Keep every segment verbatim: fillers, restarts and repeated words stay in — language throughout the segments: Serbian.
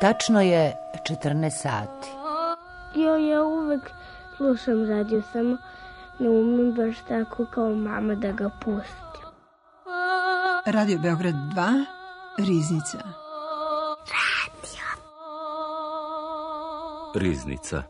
Tačno je četrnaest sati. Jo, ja uvek slušam radio, samo ne umem baš tako kao mama da ga pustim. Radio Beograd dva, Riznica. Radio. Riznica.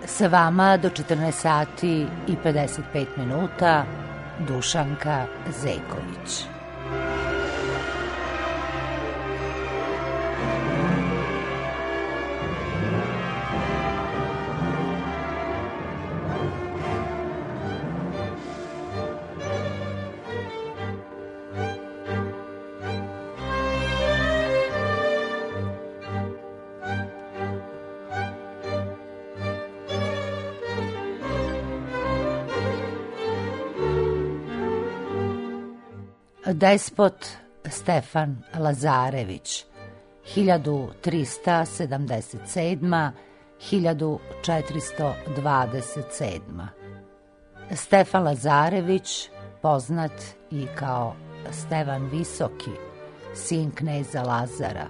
Sa vama do četrnaest sati i pedeset pet minuta Dušanka Zeković. Despot Stefan Lazarević, hiljadu trista sedamdeset sedma do hiljadu četiristo dvadeset sedma. Stefan Lazarević, poznat i kao Stevan Visoki, sin kneza Lazara,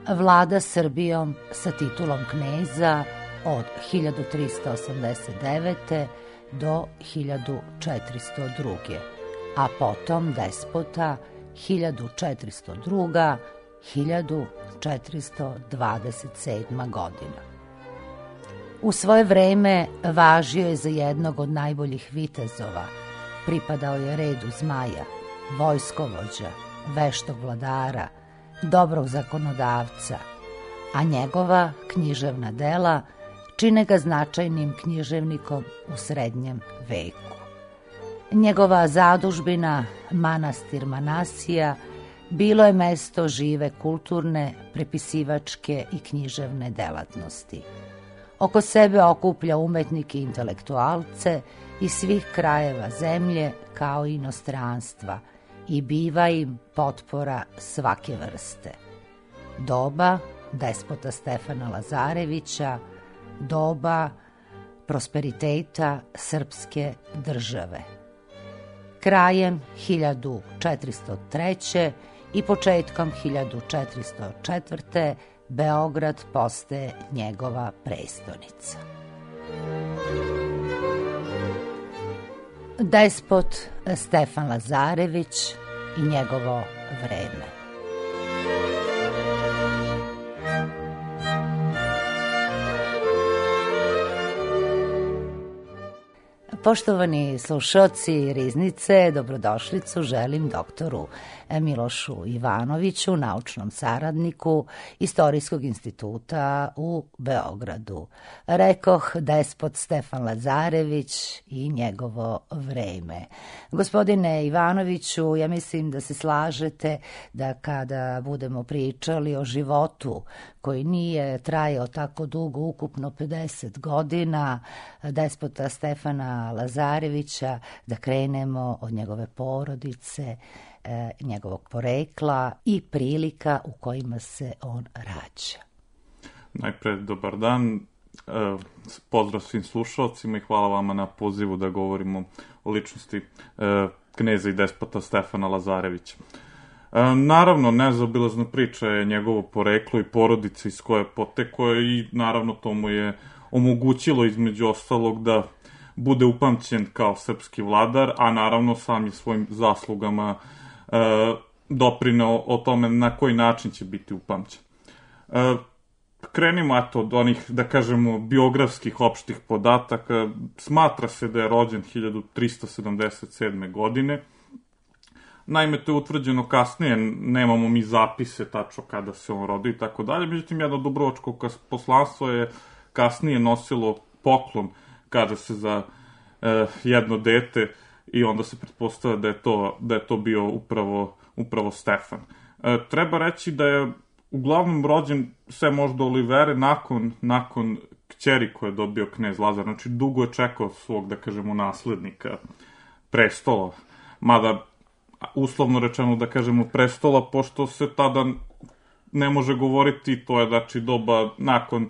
vlada Srbijom sa titulom kneza od hiljadu trista osamdeset devete. do hiljadu četiristo druge. a potom despota hiljadu četiristo druga do hiljadu četiristo dvadeset sedma. godina. U svoje vreme važio je za jednog od najboljih vitezova, pripadao je redu zmaja, vojskovođa, veštog vladara, dobrog zakonodavca, a njegova književna dela čine ga značajnim književnikom u srednjem veku. Njegova zadužbina, manastir Manasija, bilo je mesto žive kulturne, prepisivačke i književne delatnosti. Oko sebe okuplja umetnike i intelektualce iz svih krajeva zemlje kao i inostranstva i biva im potpora svake vrste. Doba despota Stefana Lazarevića, doba prosperiteta srpske države. Krajem hiljadu četiristo treće. i početkom hiljadu četiristo četvrte. Beograd postaje njegova prestonica. Despot Stefan Lazarević i njegovo vreme. Poštovani slušaoci Riznice, dobrodošlicu želim doktoru Milošu Ivanoviću, naučnom saradniku Istorijskog instituta u Beogradu. Rekoh, despot Stefan Lazarević i njegovo vreme. Gospodine Ivanoviću, ja mislim da se slažete da kada budemo pričali o životu koji nije trajao tako dugo, ukupno pedeset godina, despota Stefana Lazarevića, da krenemo od njegove porodice, e, njegovog porekla i prilika u kojima se on rađa. Najpre, dobar dan, e, pozdrav svim slušalcima i hvala vama na pozivu da govorimo o ličnosti e, kneza i despota Stefana Lazarevića. E, naravno, nezaobilazna priča je njegovo poreklo i porodica iz koje potekao i naravno to mu je omogućilo između ostalog da bude upamćen kao srpski vladar, a naravno sam je svojim zaslugama e, doprineo o tome na koji način će biti upamćen. E, krenimo eto od onih, da kažemo, biografskih opštih podataka. Smatra se da je rođen hiljadu trista sedamdeset sedme. godine. Naime, to je utvrđeno kasnije, nemamo mi zapise tačno kada se on rodio i tako dalje, međutim, jedno dubrovačko poslanstvo je kasnije nosilo poklon, kaže se, za e, jedno dete i onda se pretpostavlja da je to, da je to bio upravo, upravo Stefan. E, treba reći da je uglavnom rođen sve možda Olivere nakon, nakon kćeri koje je dobio knez Lazar. Znači, dugo je čekao svog, da kažemo, naslednika prestola. Mada, uslovno rečeno, da kažemo, prestola, pošto se tada ne može govoriti, to je, znači, doba nakon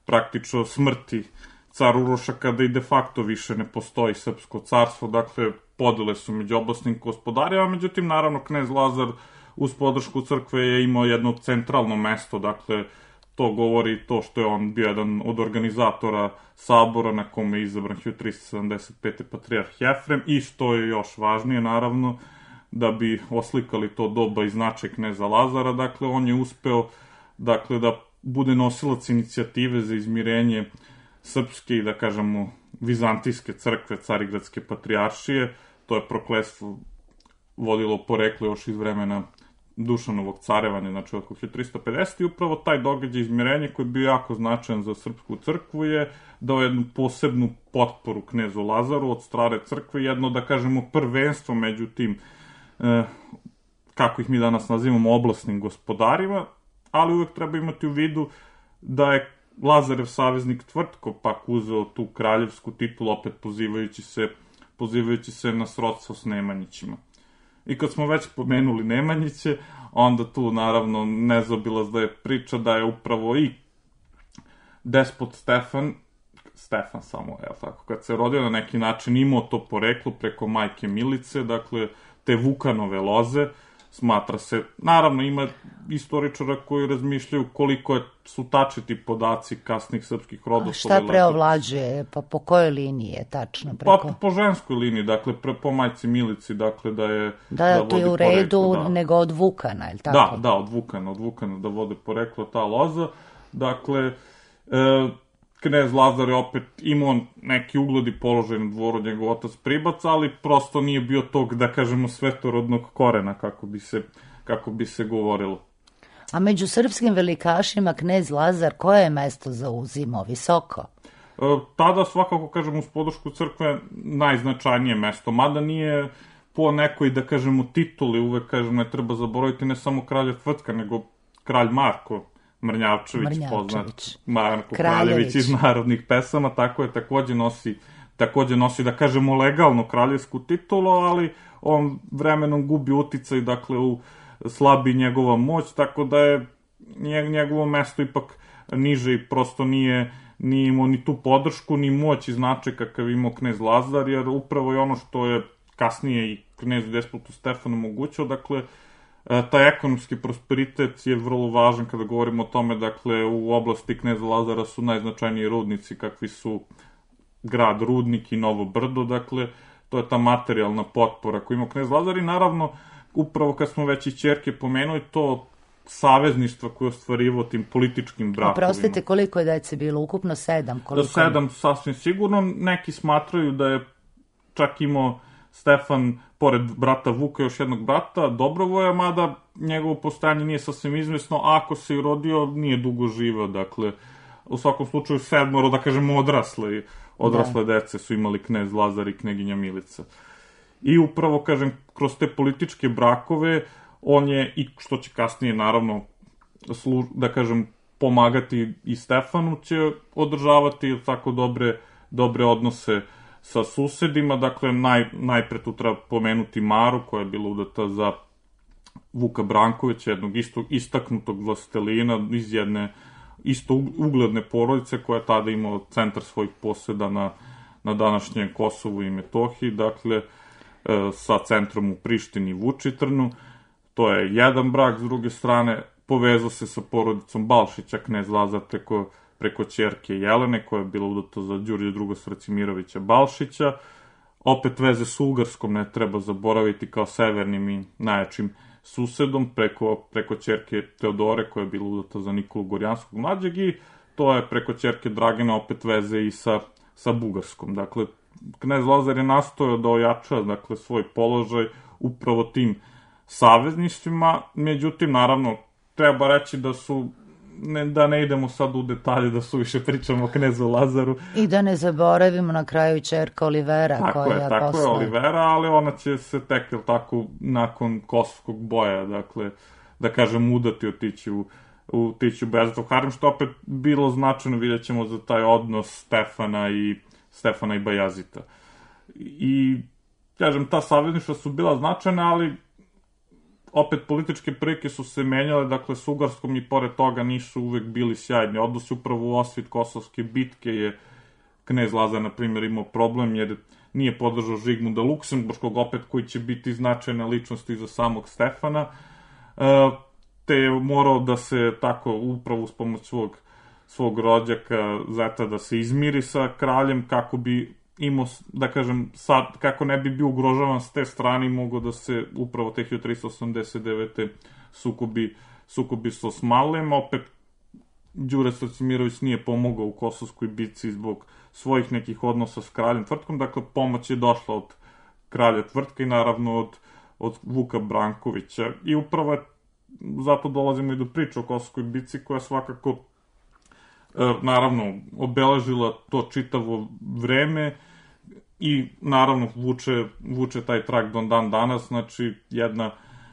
praktično smrti car Uroša, kada i de facto više ne postoji srpsko carstvo, dakle, podele su među oblasnim gospodarima, međutim, naravno, knez Lazar uz podršku crkve je imao jedno centralno mesto, dakle, to govori to što je on bio jedan od organizatora sabora na kome je izabran hiljadu tristo sedamdeset pete patrijarh Jefrem i što je još važnije, naravno, da bi oslikali to doba i značaj kneza Lazara, dakle, on je uspeo, dakle, da bude nosilac inicijative za izmirenje srpske i, da kažemo, vizantijske crkve, Carigradske patrijaršije. To je prokletstvo vodilo poreklo još iz vremena Dušanovog carevanja, znači oko hiljadu tristo pedesete. i upravo taj događaj izmirenja koji je bio jako značajan za srpsku crkvu je dao jednu posebnu potporu knezu Lazaru od strane crkve, jedno, da kažemo, prvenstvo među tim, eh, kako ih mi danas nazivamo, oblasnim gospodarima, ali uvek treba imati u vidu da je Lazarev saveznik Tvrtko pak uzeo tu kraljevsku titulu, opet pozivajući se, pozivajući se na srodstvo s Nemanjićima. I kad smo već pomenuli Nemanjiće, onda tu naravno nezaobilazna je priča da je upravo i despot Stefan, Stefan samo, evo tako, kad se rodio na neki način imao to poreklo preko majke Milice, dakle te Vukanove loze, smatra se, naravno ima istoričara koji razmišljaju koliko je, su tačni ti podaci kasnih srpskih rodoslova. A šta preovlađuje, pa po kojoj liniji je tačno? Preko... Pa po ženskoj liniji, dakle pre, po majci Milici, dakle da je... Da, da to je u redu poreklo, da. Nego od Vukana, ili tako? Da, da, od Vukana, od Vukana da vode poreklo ta loza, dakle... E, knez Lazar je opet imao neki ugled i položaj na dvoru, njegov otac Pribac, ali prosto nije bio tog, da kažemo, svetorodnog korena, kako bi se, kako bi se govorilo. A među srpskim velikašima knez Lazar koje je mesto zauzimao? Visoko? E, tada svakako, kažemo, uz podršku crkve najznačajnije mesto, mada nije po nekoj, da kažemo, tituli, uvek, kažemo, ne treba zaboraviti ne samo kralja Tvrtka, nego kralj Marko Mrnjavčević, Mrnjavčević. poznat Marko Kraljević iz narodnih pesama, tako je, takođe nosi, takođe nosi, da kažemo, legalno kraljevsku titulu, ali on vremenom gubi uticaj, dakle, u slabi njegova moć, tako da je njegovo mesto ipak niže i prosto nije, nije imao ni tu podršku, ni moć i značaj kakav imao knez Lazar, jer upravo je ono što je kasnije i knezu despotu Stefanu omogućao, dakle, taj ekonomski prosperitet je vrlo važan kada govorimo o tome, dakle, u oblasti kneza Lazara su najznačajniji rudnici kakvi su grad Rudnik i Novo Brdo, dakle, to je ta materijalna potpora koju ima knez Lazar i naravno, upravo kad smo već i ćerke pomenuli, to savezništva koje je ostvarivao tim političkim brakovima. Oprostite, koliko je dece bilo? Ukupno sedam? Koliko... Sedam, sasvim sigurno. Neki smatraju da je čak imao Stefan, pored brata Vuka, još jednog brata, Dobrovoja, mada njegovo postojanje nije sasvim izvesno, a ako se i rodio, nije dugo živeo, dakle, u svakom slučaju sedmoro, da kažemo, odrasle, odrasle da. dece su imali knez Lazar i kneginja Milica. I upravo, kažem, kroz te političke brakove, on je, i što će kasnije, naravno, slu, da kažem, pomagati i Stefanu, će održavati tako dobre, dobre odnose sa susedima, dakle, naj, najpre tu treba pomenuti Maru, koja je bila udata za Vuka Brankovića, jednog isto, istaknutog vlastelina iz jedne isto ugledne porodice, koja je tada imala centar svojih poseda na, na današnjem Kosovu i Metohiji, dakle, e, sa centrom u Prištini i Vučitrnu. To je jedan brak, s druge strane, povezao se sa porodicom Balšića, knez Lazar, preko preko ćerke Jelene, koja je bila udata za Đurđe druga. Sracimirovića Balšića. Opet veze s Ugarskom ne treba zaboraviti kao severnim i najjačim susedom, preko, preko ćerke Teodore, koja je bila udata za Nikolu Gorjanskog mlađeg, i to je preko ćerke Dragana opet veze i sa, sa Bugarskom. Dakle, knez Lazar je nastojao da ojača, dakle, svoj položaj upravo tim savezništvima, međutim, naravno, treba reći da su Ne, da ne idemo sad u detalje, da su više pričamo o knezu Lazaru. I da ne zaboravimo na kraju ćerka Olivera, tako koja je tako posle... je Olivera, ali ona će se tek, tako, nakon Kosovskog boja, dakle, da kažem, udati otići u, u, otići u Bajazitov harem, što opet bilo značajno, vidjet ćemo, za taj odnos Stefana i, Stefana i Bajazita. I, kažem, ta savezništva su bila značajna, ali opet političke prilike su se menjale, dakle, s Ugarskom i pored toga nisu uvek bili sjajni odnosi. Upravo u osvit Kosovske bitke je knez Lazar, na primjer, imao problem, jer nije podržao Žigmunda Luksemburškog, opet koji će biti značajna ličnost i za samog Stefana, te je morao da se tako upravo uz pomoć svog, svog rođaka zeta da se izmiri sa kraljem, kako bi imao, da kažem, sad, kako ne bi bio ugrožavan s te strane, mogao da se upravo te hiljadu tristo osamdeset devete sukobi, sukobi s Osmanlijem. Opet, Đure Srcimirović nije pomogao u Kosovskoj bitci zbog svojih nekih odnosa s kraljem Tvrtkom, dakle, pomoć je došla od kralja Tvrtka i naravno od, od Vuka Brankovića. I upravo je, zato dolazimo i do priče o Kosovskoj bitci, koja svakako naravno obeležila to čitavo vreme i naravno vuče, vuče taj trag do dan danas. Znači, jedna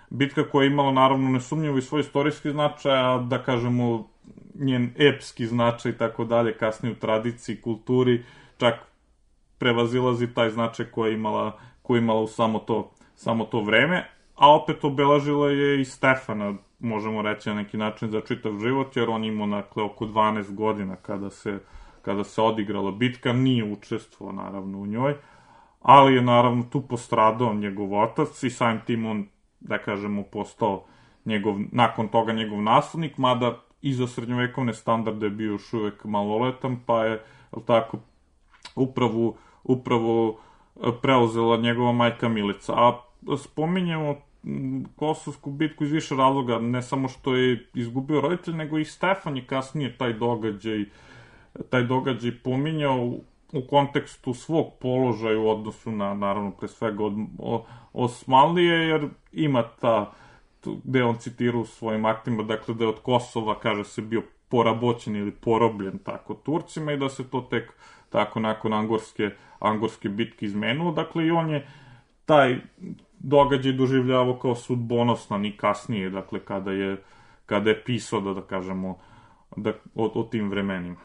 bitka koja je imala naravno nesumnjivo i svoj istorijski značaj, a da kažemo njen epski značaj i tako dalje, kasnije u tradiciji, kulturi, čak prevazilazi taj značaj koja je imala, koja je imala u samo to, samo to vreme, a opet obeležila je i Stefana, možemo reći na neki način, za čitav život, jer on imao, dakle, oko dvanaest godina kada se, kada se odigrala bitka, nije učestvovao naravno u njoj, ali je naravno tu postradao njegov otac i samim tim on, da kažemo, postao njegov, nakon toga njegov naslednik, mada i za srednjovekovne standarde je bio još uvek maloletan, pa je, tako, upravo, upravo preuzela njegova majka Milica. A spominjemo Kosovsku bitku iz više razloga, ne samo što je izgubio roditelj, nego i Stefan je kasnije taj događaj, taj događaj pominjao u kontekstu svog položaja u odnosu na, naravno, pre svega od Osmanlije, jer ima ta, gde on citira u svojim aktima, dakle, da je od Kosova, kaže se, bio poraboćen ili porobljen tako Turcima i da se to tek tako nakon Angorske, Angorske bitke izmenulo. Dakle, i on je taj događaj doživljavao kao sudbonostan i kasnije, dakle, kada je, kada je pisao, da, da kažemo, da, o, o tim vremenima.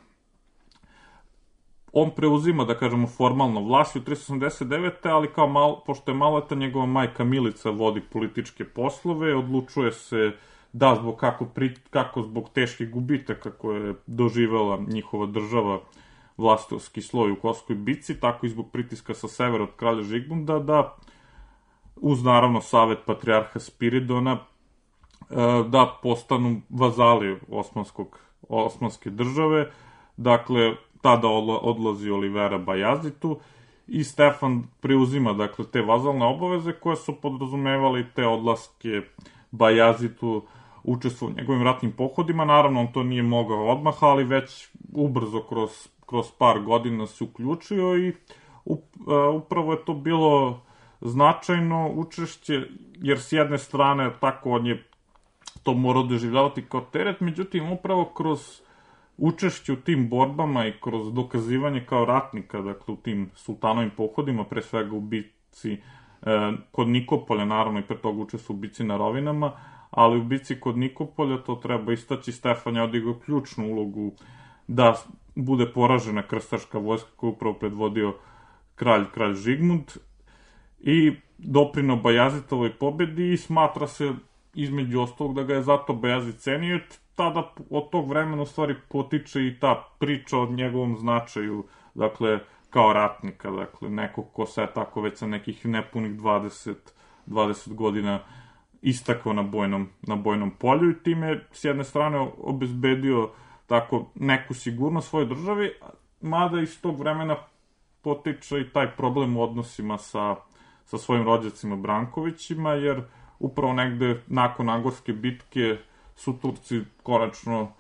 On preuzima, da kažemo, formalno vlast u tristo osamdeset devete ali kao mal, pošto je maleta, njegova majka Milica vodi političke poslove, odlučuje se da zbog kako, pri, kako zbog teških gubitaka koje je doživela njihova država, vlastovski sloj u Kosovskoj bitci, tako i zbog pritiska sa severa od kralja Žigmunda, da uz naravno savet patrijarha Spiridona da postanu vazali osmanskog, osmanske države. Dakle, tada odlazi Olivera Bajazitu i Stefan preuzima, dakle, te vazalne obaveze koje su podrazumevali te odlaske Bajazitu, učestvovao u njegovim ratnim pohodima. Naravno, on to nije mogao odmah, ali već ubrzo kroz, kroz par godina se uključio i upravo je to bilo značajno učešće, jer s jedne strane tako on je to morao doživljavati kao teret, međutim upravo kroz učešće u tim borbama i kroz dokazivanje kao ratnika, dakle u tim sultanovim pohodima, pre svega u bici e, kod Nikopolja, naravno i pre toga učestvo u bici na Rovinama, ali u bici kod Nikopolja, to treba istaći, Stefan je odigrao ključnu ulogu da bude poražena krstaška vojska koju upravo predvodio kralj, kralj Žigmund, i doprineo Bajazitovoj pobedi i smatra se između ostalog da ga je zato Bajazit cenio. Tada od tog vremena u stvari potiče i ta priča o njegovom značaju, dakle, kao ratnika, dakle, neko ko se je tako već sa nekih nepunih dvadeset, dvadeset godina istakao na bojnom, na bojnom polju i time s jedne strane obezbedio tako neku sigurnost svojoj državi, mada iz tog vremena potiče i taj problem u odnosima sa sa svojim rođacima Brankovićima, jer upravo negde nakon Angorske bitke su Turci konačno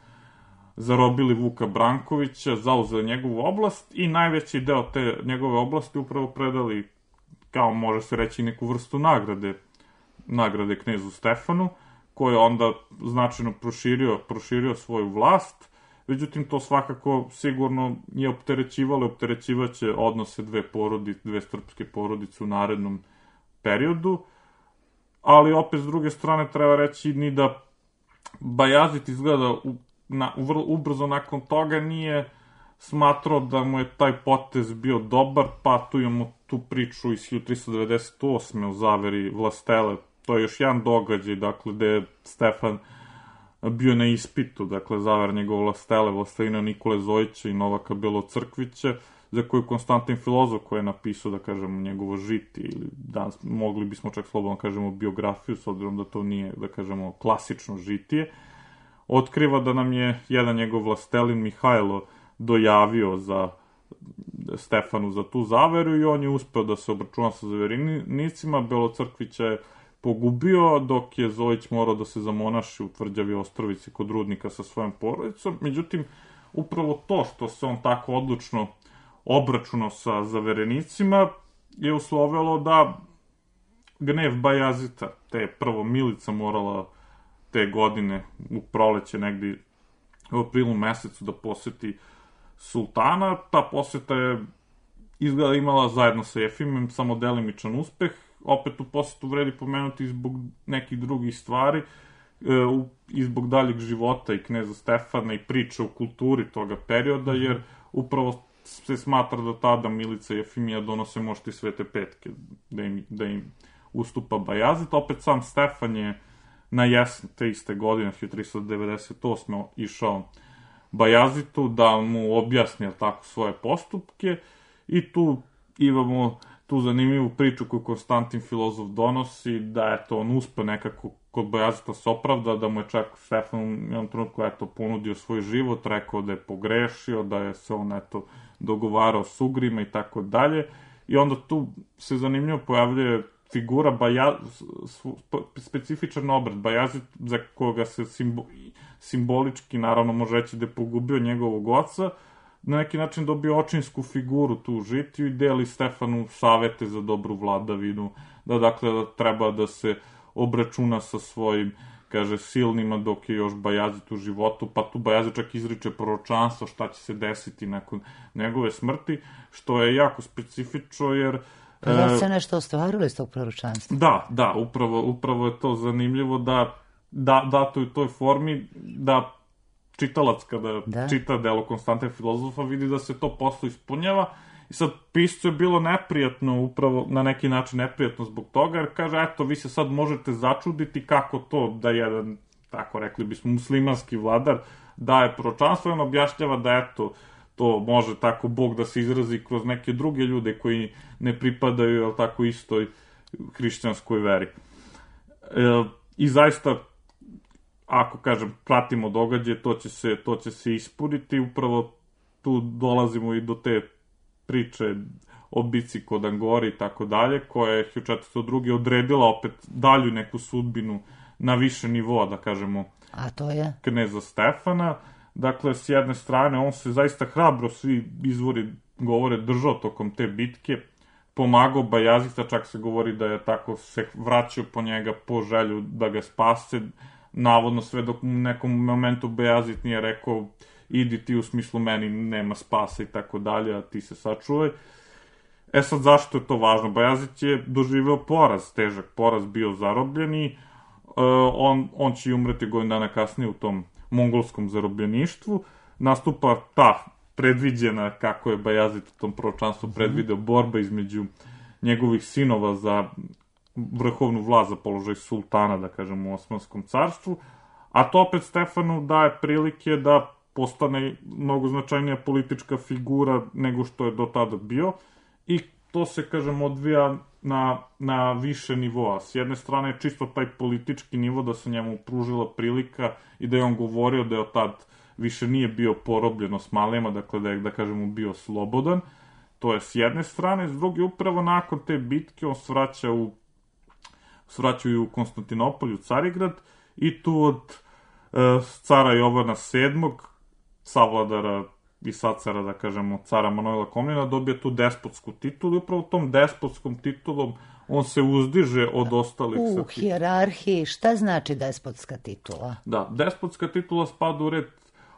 zarobili Vuka Brankovića, zauzeli njegovu oblast i najveći deo te njegove oblasti upravo predali, kao može se reći, neku vrstu nagrade, nagrade knezu Stefanu, koji je onda značajno proširio, proširio svoju vlast. Međutim, to svakako sigurno je opterećivalo, opterećivaće odnose dve porodice, dve srpske porodice u narednom periodu, ali opet s druge strane treba reći ni da Bajazid izgleda u, na, vrlo ubrzo nakon toga nije smatrao da mu je taj potez bio dobar, pa tu imamo tu priču iz hiljadu tristo devedeset osme o zaveri Vlastele. To je još jedan događaj, dakle, gde je Stefan bio na ispitu, dakle, zaver njegov Vlastele, Vlastelina Nikole Zojića i Novaka Belocrkvića, za koju Konstantin Filozof, koji je napisao, da kažemo, njegovo žitije, ili danas mogli bismo čak slobodno kažemo biografiju, s obzirom da to nije, da kažemo, klasično žitije, otkriva da nam je jedan njegov vlastelin Mihajlo dojavio za Stefanu za tu zaveru i on je uspeo da se obračuna sa zaverenicima. Belocrkvića je pogubio, dok je Zojić morao da se zamonaši u Tvrđavi Ostrovici kod rudnika sa svojom porodicom. Međutim, upravo to što se on tako odlučno obračunao sa zaverenicima je uslovilo da gnev Bajazita, te prvo milica morala te godine u proleće negdje u aprilu mesecu da poseti sultana. Ta poseta je izgleda imala zajedno sa Jefimem samo delimičan uspeh. Opet u posetu vredi pomenuti zbog nekih drugih stvari i zbog daljeg života i kneza Stefana i priče o kulturi toga perioda, jer upravo se smatra da tada Milica i Jefimija donose možda i Svete petke, da im, da im ustupa Bajazid. Opet sam Stefan je na jesen te iste godine, hiljadu tristo devedeset osme išao Bajazitu da mu objasni tako svoje postupke i tu imamo tu zanimljivu priču koju Konstantin Filozof donosi, da je to on uspe nekako kod Bajazita se opravda, da mu je čak Stefan u jednom trenutku eto, ponudio svoj život, rekao da je pogrešio, da je se on eto, dogovarao s ugrima i tako dalje. I onda tu se zanimljivo pojavljuje figura Bajaz, specifičan obrat Bajazid, za koga se simbo, simbolički, naravno, može reći da je pogubio njegovog oca, na neki način dobio očinsku figuru tu u žitiju i deli Stefanu savete za dobru vladavinu, da dakle da treba da se obračuna sa svojim, kaže, silnima dok je još Bajazid u životu, pa tu Bajazid čak izriče proročanstvo šta će se desiti nakon njegove smrti, što je jako specifično jer Pa da se nešto ostvarilo iz tog proročanstva? Da, da, upravo, upravo je to zanimljivo da, da dato u toj formi da čitalac kada da. čita delo Konstantina Filozofa vidi da se to posle ispunjava i sad piscu je bilo neprijatno, upravo na neki način neprijatno zbog toga, jer kaže, eto, vi se sad možete začuditi kako to da jedan, tako rekli bismo, muslimanski vladar daje proročanstvo i on objašnjava da, eto, to može tako Bog da se izrazi kroz neke druge ljude koji ne pripadaju, jel tako, istoj hrišćanskoj veri. E, I zaista, ako, kažem, pratimo događaje, to će se, to će se ispuniti. Upravo tu dolazimo i do te priče o bici kod Angori i tako dalje, koja je hiljadu četiristo druge odredila opet dalju neku sudbinu na više nivoa, da kažemo, a to je kneza Stefana. Dakle, s jedne strane, on se zaista hrabro, svi izvori govore, držao tokom te bitke, pomagao Bajazita, čak se govori da je tako se vraćao po njega po želju da ga spase, navodno sve dok u nekom momentu Bajazit nije rekao idi ti, u smislu meni nema spasa i tako dalje, a ti se sačuvaj. E sad, zašto je to važno? Bajazit je doživeo poraz, težak poraz, bio zarobljen i uh, on, on će umreti godinu dana kasnije u tom mongolskom zarobljeništvu. Nastupa ta predviđena, kako je Bajazid u tom proročanstvu predvideo, borba između njegovih sinova za vrhovnu vlast, za položaj sultana, da kažem, u Osmanskom carstvu, a to opet Stefanu daje prilike da postane mnogo značajnija politička figura nego što je do tada bio i to se, kažem, odvija na, na više nivoa. S jedne strane je čisto taj politički nivo da se njemu pružila prilika i da je on govorio da je od tad više nije bio porobljen Osmanlijama, dakle da je, da kažemo, bio slobodan. To je s jedne strane. S druge, upravo nakon te bitke on svraća u svraćaju u Konstantinopolj, u Carigrad, i tu od e, cara Jovana sedmog, savladara i sacara, da kažemo, cara Manojla Komnena, dobije tu despotsku titulu i upravo tom despotskom titulom on se uzdiže od ostalih. U hijerarhiji, šta znači despotska titula? Da, despotska titula spada u red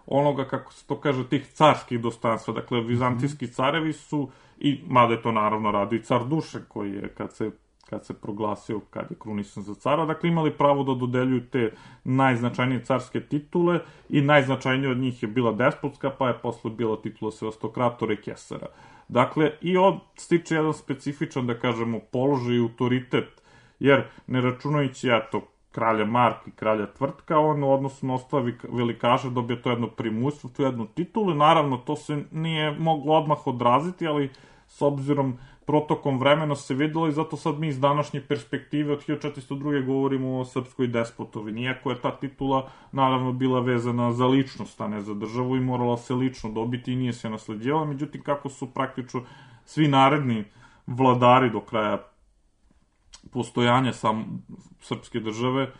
onoga, kako se to kaže, tih carskih dostojanstva. Dakle, vizantijski carevi su, i mada je to naravno radi i car Dušan, koji je, kad se kad se proglasio, kad je krunisan za cara, dakle imali pravo da dodeljuju te najznačajnije carske titule i najznačajnije od njih je bila despotska, pa je posle bila titula sevastokratora i kesara. Dakle, i on stiče jedan specifičan, da kažemo, položaj i autoritet, jer ne računajući, eto, kralja Marka i kralja Tvrtka, on u odnosu na ostale velikaše dobije to jedno primustvo, tu jednu titulu, naravno to se nije moglo odmah odraziti, ali s obzirom protokom vremena se videlo i zato sad mi iz današnje perspektive od hiljadu četiristo druge govorimo o srpskoj despotovini, iako je ta titula naravno bila vezana za ličnost, a ne za državu i morala se lično dobiti i nije se nasleđivala, međutim kako su praktično svi naredni vladari do kraja postojanja sam srpske države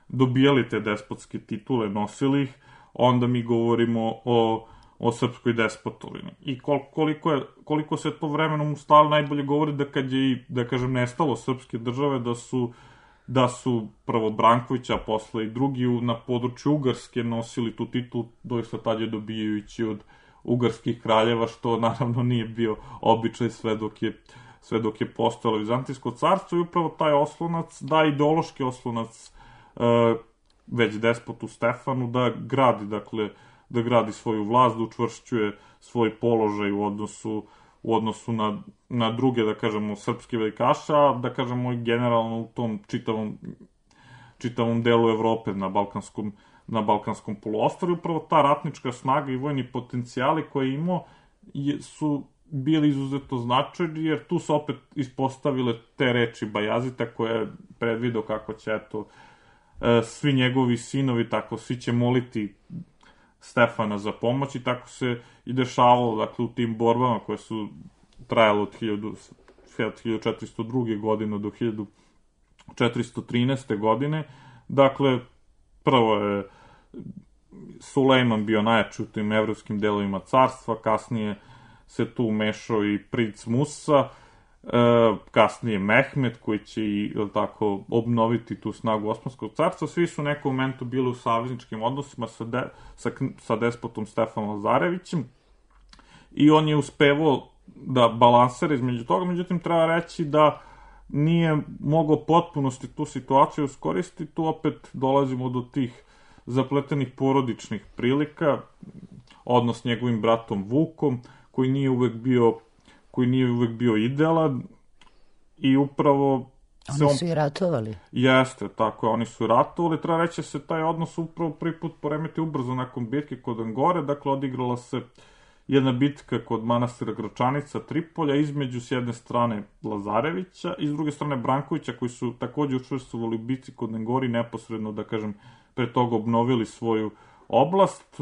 dobijali te despotske titule, nosili ih, onda mi govorimo o, o srpskoj despotovini. I koliko, je, koliko se to vremenom ustalo, najbolje govori da kad je i, da kažem, nestalo srpske države, da su, da su prvo Branković, a posle i drugi na području Ugarske nosili tu titulu, doista tad je dobijajući od ugarskih kraljeva, što naravno nije bio običaj sve dok je sve dok je postojalo Vizantijsko carstvo i upravo taj oslonac, da ideološki oslonac e, već despotu Stefanu da gradi, dakle, da gradi svoju vlast, da učvršćuje svoj položaj u odnosu, u odnosu na, na druge, da kažemo, srpske velikaše, a da kažemo i generalno u tom čitavom, čitavom delu Evrope na Balkanskom, na Balkanskom poluostrvu. Upravo ta ratnička snaga i vojni potencijali koje je imao je, su bili izuzetno značajni, jer tu su opet ispostavile te reči Bajazita koje je predvideo kako će, eto, svi njegovi sinovi, tako svi će moliti Stefana za pomoć i tako se i dešavalo, dakle, u tim borbama koje su trajale od hiljadu četiristo druge godine do hiljadu četiristo trinaeste godine. Dakle, prvo je Sulejman bio najjači u tim evropskim delovima carstva, kasnije se tu umešao i princ Musa, e, kasnije Mehmed koji će i tako obnoviti tu snagu Osmanskog carstva. Svi su u nekom momentu bili u savezničkim odnosima sa, de, sa, sa despotom Stefanom Lazarevićem i on je uspevao da balansira između toga, međutim treba reći da nije mogao potpunosti tu situaciju iskoristiti, tu opet dolazimo do tih zapletenih porodičnih prilika, odnos s njegovim bratom Vukom, koji nije uvek bio, koji nije uvek bio idealan i upravo se oni su on... i ratovali. Jeste, tako je, oni su ratovali. Treba reći da se taj odnos upravo prvi put poremeti ubrzo nakon bitke kod Angore, dakle odigrala se jedna bitka kod manastira Gračanica, Tripolja, između s jedne strane Lazarevića i s druge strane Brankovića, koji su takođe učestvovali u bitci kod Angori, neposredno, da kažem, pre toga obnovili svoju oblast.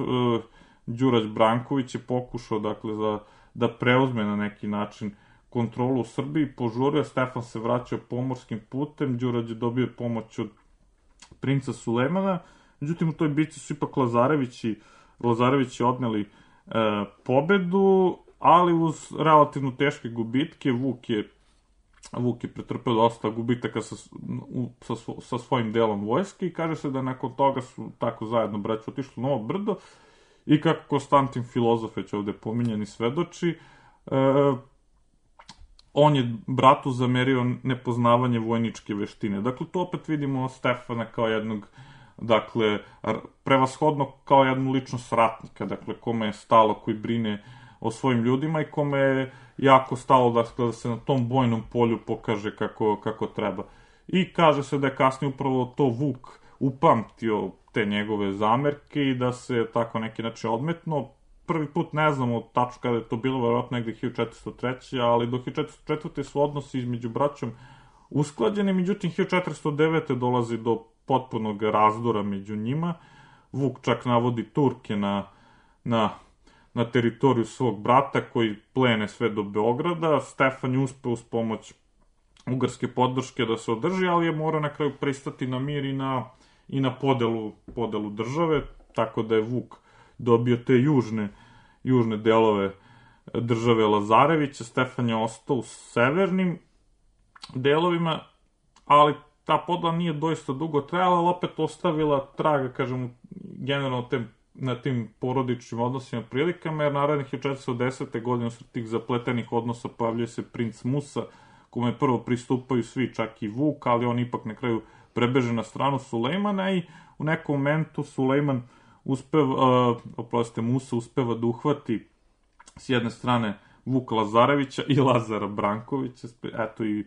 Đurađ Branković je pokušao, dakle, za, da preuzme na neki način kontrolu u Srbiji, požurio, Stefan se vraćao pomorskim putem, Đurađ je dobio pomoć od princa Sulejmana, međutim u toj bici su ipak Lazarevići, Lazarevići odneli e, pobedu, ali uz relativno teške gubitke. Vuk je, Vuk je pretrpeo dosta gubitaka sa, u, sa, sa svojim delom vojske i kaže se da nakon toga su tako zajedno braća otišli u Novo Brdo i kako Konstantin Filozof već ovde pominjani svedoči, e, on je bratu zamerio nepoznavanje vojničke veštine. Dakle, tu opet vidimo Stefana kao jednog, dakle, prevashodno kao jednu ličnost ratnika, dakle, kome je stalo, koji brine o svojim ljudima i kome je jako stalo dakle, da se na tom bojnom polju pokaže kako, kako treba. I kaže se da je kasnije upravo to Vuk upamtio te njegove zamerke i da se tako neki način odmetno. Prvi put ne znamo tačno kada je to bilo, verovatno negde hiljadu četiristo treće. ali do hiljadu četiristo četvrte su odnosi između braćom usklađeni, međutim hiljadu četiristo devete dolazi do potpunog razdora među njima. Vuk čak navodi Turke na, na, na teritoriju svog brata koji plene sve do Beograda. Stefan je uspeo uz pomoć ugarske podrške da se održi, ali je morao na kraju pristati na mir i na, i na podelu, podelu države, tako da je Vuk dobio te južne, južne delove države Lazarevića. Stefan je ostao u severnim delovima, ali ta podela nije doista dugo trajala, ali opet ostavila traga, kažem, generalno te, na tim porodičnim odnosima prilikama, jer narednih hiljadu četiristo desete godine usred tih zapletenih odnosa pojavljuje se princ Musa, kome prvo pristupaju svi, čak i Vuk, ali on ipak na kraju prebeže na stranu Sulejmana i u nekom momentu Sulejman uspeva, uh, oprostite, Musa uspeva da uhvati s jedne strane Vuka Lazarevića i Lazara Brankovića, eto i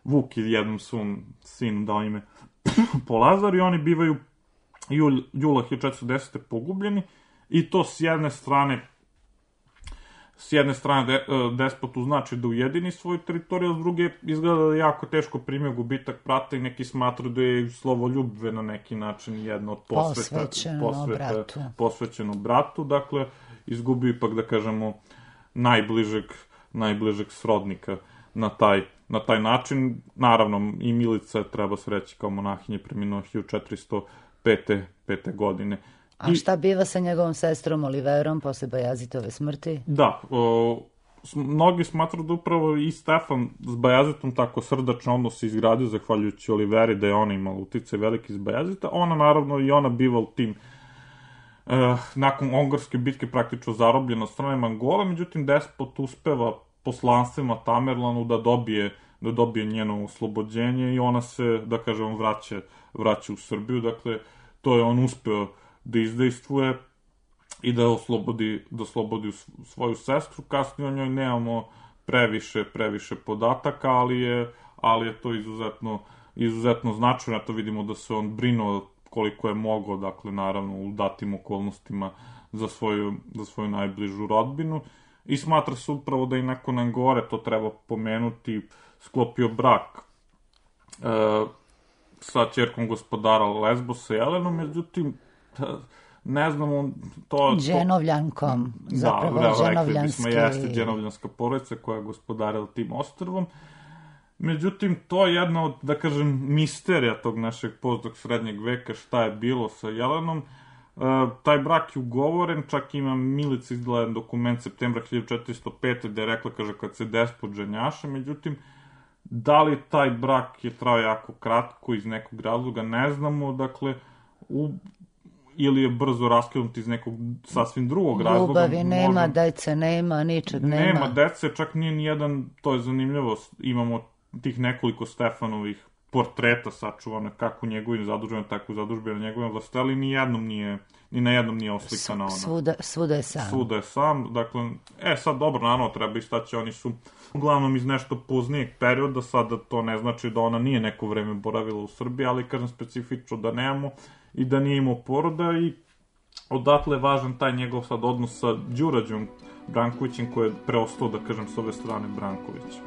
Vuk je jednom svom sinu dao ime po Lazaru i oni bivaju jul, jula hiljadu četiristo desete pogubljeni i to s jedne strane s jedne strane de, despotu znači da ujedini svoju teritoriju, a s druge izgleda da je jako teško primio gubitak brata i neki smatruju da je slovoljubve na neki način jedno od posveta, posvećeno, posveta, bratu. posvećeno bratu, dakle izgubio ipak da kažemo najbližeg, najbližeg srodnika na taj, na taj način. Naravno i Milica treba se reći kao monahinje preminuo hiljadu četiristo pete. godine. A šta biva sa njegovom sestrom Oliverom posle Bajazitove smrti? Da, o, mnogi smatruju da upravo i Stefan s Bajazitom tako srdačno odnos izgradio zahvaljujući Oliveri, da je ona imala uticaj veliki s Bajazita. Ona naravno i ona biva u tim e, nakon Ongorske bitke praktično zarobljena od strane Mongola, međutim despot uspeva poslanstvima Tamerlanu da dobije, da dobije njeno oslobođenje i ona se, da kažem, vraća, vraća u Srbiju. Dakle, to je on uspeo da izdejstvuje i da oslobodi, da oslobodi svoju sestru. Kasnije o njoj nemamo previše, previše podataka, ali je, ali je to izuzetno, izuzetno značajno. To vidimo da se on brinuo koliko je mogao, dakle, naravno, u datim okolnostima za svoju, za svoju najbližu rodbinu. I smatra se upravo da i nakon Angore, to treba pomenuti, sklopio brak e, sa ćerkom gospodara Lesbosa Jelenom, međutim, ne znamo, to... Dženovljankom, zapravo da, dženovljanski... Da, rekli bismo, jeste dženovljanska porodica koja je gospodarila tim ostrvom. Međutim, to je jedna od, da kažem, misterija tog našeg pozdog srednjeg veka, šta je bilo sa Jelenom. E, taj brak je ugovoren, čak ima Milica izdala jedan dokument septembra hiljadu četiristo pete. gde je rekla, kaže, kad se despot ženjaše, međutim, da li taj brak je trao jako kratko iz nekog razloga, ne znamo, dakle, u, ili je brzo raskinut iz nekog sasvim drugog razloga. Ljubavi nema, možda, dece nema, ničeg nema. Nema dece, čak nije nijedan, to je zanimljivo, imamo tih nekoliko Stefanovih portreta sačuvane, kako u njegovim zadužbama, tako u zadužbama njegovim vlasti, ali ni jednom nije, ni na jednom nije oslikana ona. Svuda, svuda je sam. Svuda je sam, dakle, e sad dobro, naravno, treba istaći, oni su uglavnom iz nešto poznijeg perioda, sada to ne znači da ona nije neko vreme boravila u Srbiji, ali kažem specifično da nemamo i da nije imao poroda i odatle je važan taj njegov sad odnos sa Đurađom Brankovićem koji je preostao, da kažem, s ove strane Brankovića.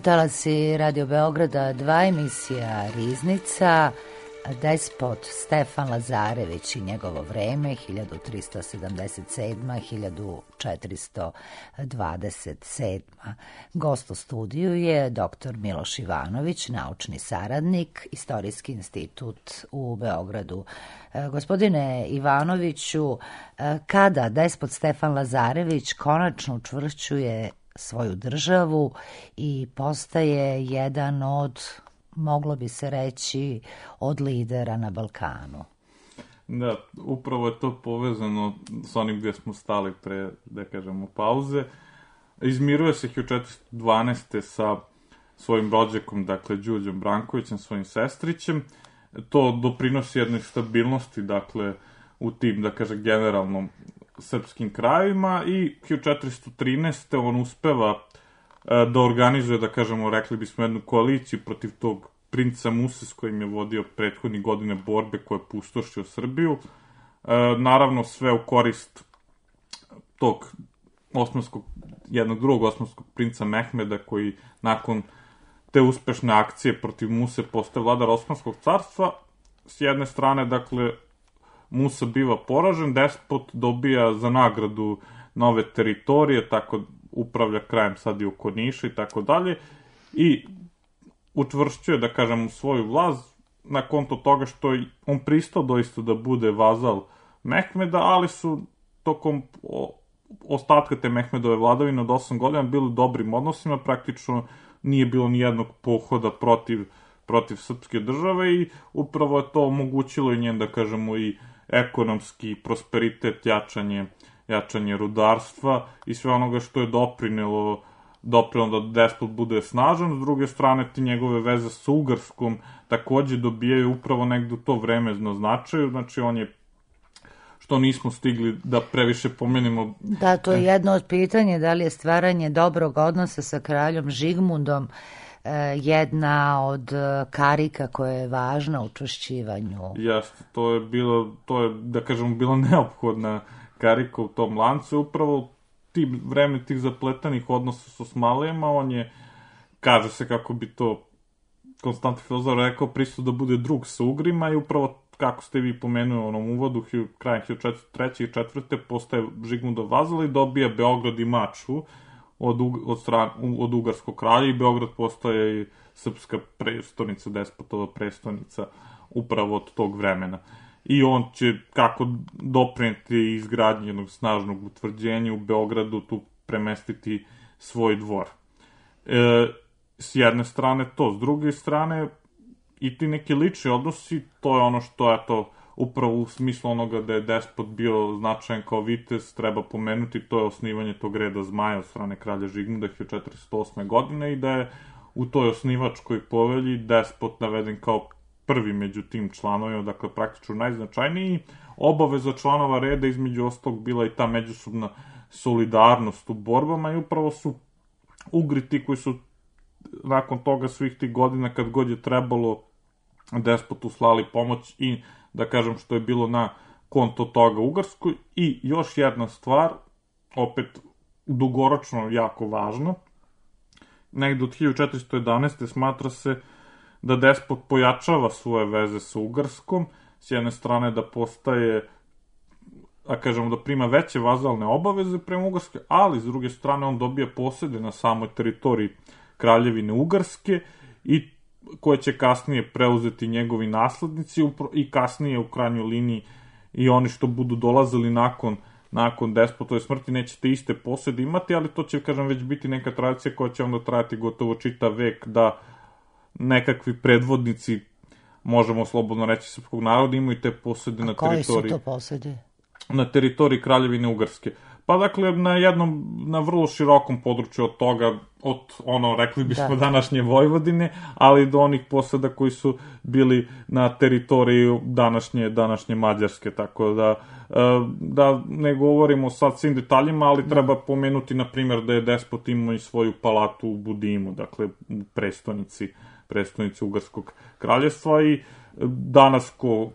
Talasi Radio Beograda dva, emisija Riznica, despot Stefan Lazarević i njegovo vreme hiljadu tristo sedamdeset sedma do hiljadu četiristo dvadeset sedma. Gost u studiju je doktor Miloš Ivanović, naučni saradnik, Istorijski institut u Beogradu. Gospodine Ivanoviću, kada despot Stefan Lazarević konačno učvršćuje svoju državu i postaje jedan od, moglo bi se reći, od lidera na Balkanu? Da, upravo je to povezano s onim gdje smo stali pre, da kažemo, pauze. Izmiruje se hiljadu četiristo dvanaeste. sa svojim rođakom, dakle, Đurđom Brankovićem, svojim sestrićem. To doprinosi jednoj stabilnosti, dakle, u tim, da kažem, generalnom srpskim krajevima i hiljadu četiristo trinaeste. on uspeva da organizuje, da kažemo, rekli bismo, jednu koaliciju protiv tog princa Muse s kojim je vodio prethodnih godine borbe koje je pustošio Srbiju. Naravno, sve u korist tog osmanskog, jednog drugog osmanskog princa Mehmeda, koji nakon te uspešne akcije protiv Muse postaje vladar Osmanskog carstva. S jedne strane, dakle, Musa biva poražen, despot dobija za nagradu nove teritorije, tako upravlja krajem sad i oko Niša i tako dalje, i učvršćuje, da kažem, svoju vlast na konto toga što je on pristao doista da bude vazal Mehmeda, ali su tokom ostatka te Mehmedove vladavine od osam godina bili u dobrim odnosima, praktično nije bilo ni jednog pohoda protiv, protiv srpske države i upravo je to omogućilo i njen, da kažemo, i ekonomski prosperitet, jačanje, jačanje rudarstva i sve onoga što je doprinelo, doprinelo da despot bude snažan. S druge strane, ti njegove veze sa Ugarskom takođe dobijaju upravo negde u to vreme značaju, znači on je, što nismo stigli da previše pomenimo. Da, to je jedno od pitanja, da li je stvaranje dobrog odnosa sa kraljom Žigmundom jedna od karika koja je važna u učvršćivanju. Jeste, to je bilo, to je, da kažemo, bila neophodna karika u tom lancu. Upravo ti vreme tih zapletanih odnosa s Osmanlijama, on je, kaže se kako bi to Konstantin Filozor rekao, pristao da bude drug sa Ugrima i upravo, kako ste vi pomenuli u onom uvodu, krajem hiljadu četiristo treće. i četvrte. postaje Žigmundov vazal i dobija Beograd i Mačvu od, od, stran, od Ugarskog kralja i Beograd postaje i srpska prestonica, despotova prestonica upravo od tog vremena. I on će, kako doprineti izgradnji jednog snažnog utvrđenja u Beogradu, tu premestiti svoj dvor. E, s jedne strane to, s druge strane i ti neki lični odnosi, to je ono što je to upravo u smislu onoga da je despot bio značajan kao vitez, treba pomenuti, to je osnivanje tog reda zmaja od strane kralja Žigmunda hiljadu četiristo osme. godine i da je u toj osnivačkoj povelji despot naveden kao prvi među tim članovima, dakle praktično najznačajniji. Obaveza članova reda između ostalog bila i ta međusobna solidarnost u borbama i upravo su Ugri ti koji su nakon toga svih tih godina kad god je trebalo despotu slali pomoć i, da kažem, što je bilo na konto toga Ugarskoj. I još jedna stvar, opet dugoročno jako važno, negde od hiljadu četiristo jedanaeste. smatra se da despot pojačava svoje veze sa Ugarskom, s jedne strane da postaje, a kažemo da prima veće vazalne obaveze prema Ugarske, ali s druge strane on dobija posede na samoj teritoriji Kraljevine Ugarske i koje će kasnije preuzeti njegovi naslednici i kasnije u krajnjoj liniji i oni što budu dolazili nakon, nakon despotove smrti neće te iste posede imati, ali to će, kažem, već biti neka tradicija koja će onda trajati gotovo čitav vek, da nekakvi predvodnici, možemo slobodno reći, srpskog naroda imaju te posede na teritoriji. A koji su to posede? Na teritoriji Kraljevine Ugarske. Pa dakle, na jednom, na vrlo širokom području od toga, od ono, rekli bismo, da. današnje Vojvodine, ali do onih poseda koji su bili na teritoriji današnje, današnje Mađarske, tako da, da ne govorimo sad svim detaljima, ali treba pomenuti, na primjer, da je despot imao i svoju palatu u Budimu, dakle, u prestonici, prestonici Ugarskog kraljevstva i danas ko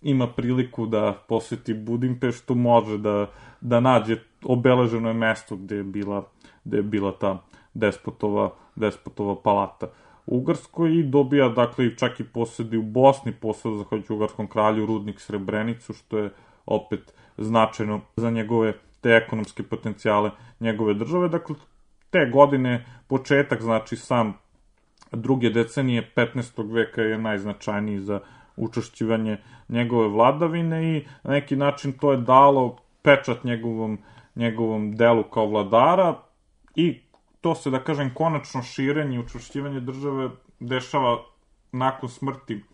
ima priliku da poseti Budimpeštu, može da, da nađe obeleženo je mesto gde je bila, gde je bila ta despotova, despotova palata u Ugarskoj i dobija, dakle, čak i posedi u Bosni, poseda zahvaljujući ugarskom kralju rudnik Srebrenicu, što je opet značajno za njegove, te ekonomske potencijale njegove države. Dakle, te godine, početak, znači sam druge decenije petnaestog veka je najznačajniji za učvršćivanje njegove vladavine i na neki način to je dalo pečat njegovom, njegovom delu kao vladara i to se, da kažem, konačno širenje i učvršćivanje države dešava nakon smrti